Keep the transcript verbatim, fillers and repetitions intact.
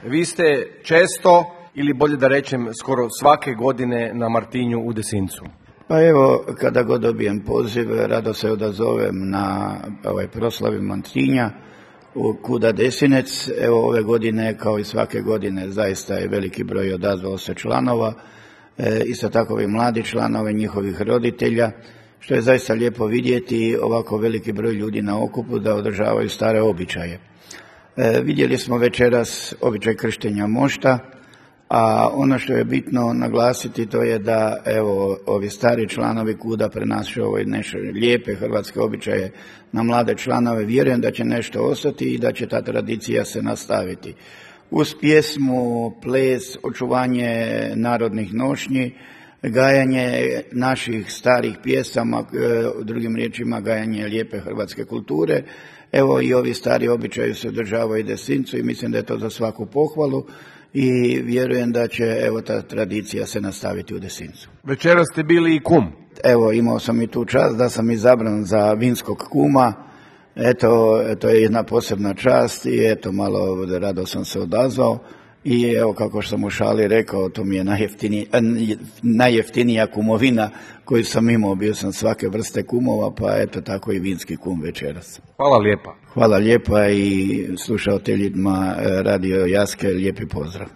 Vi ste često, ili bolje da rečem skoro svake godine na Martinju u Desincu. Pa evo, kada god dobijem poziv, rado se odazovem na ovaj proslavi Martinja u Kuda Desinec. Evo ove godine, kao i svake godine, zaista je veliki broj odazvao se članova, e, isto tako i mladi članove, njihovih roditelja, što je zaista lijepo vidjeti ovako veliki broj ljudi na okupu da održavaju stare običaje. E, vidjeli smo večeras običaj krštenja mošta, a ono što je bitno naglasiti to je da evo ovi stari članovi Kuda prenašaju ove nešto lijepe hrvatske običaje na mlade članove. Vjerujem da će nešto ostati i da će ta tradicija se nastaviti. Uz pjesmu, ples, očuvanje narodnih nošnji, gajanje naših starih pjesama, drugim riječima gajanje lijepe hrvatske kulture. Evo i ovi stari običaji se održavaju u Desincu i mislim da je to za svaku pohvalu i vjerujem da će evo ta tradicija se nastaviti u Desincu. Večeras ste bili i kum. Evo, imao sam i tu čast da sam izabran za vinskog kuma. Eto, to je jedna posebna čast i eto, malo rado sam se odazvao. I evo, kako sam u šali rekao, to mi je najjeftinija, najjeftinija kumovina koju sam imao. Bio sam svake vrste kumova, pa eto tako i vinski kum večeras. Hvala lijepa. Hvala lijepa i slušateljima Radio Jaske lijepi pozdrav.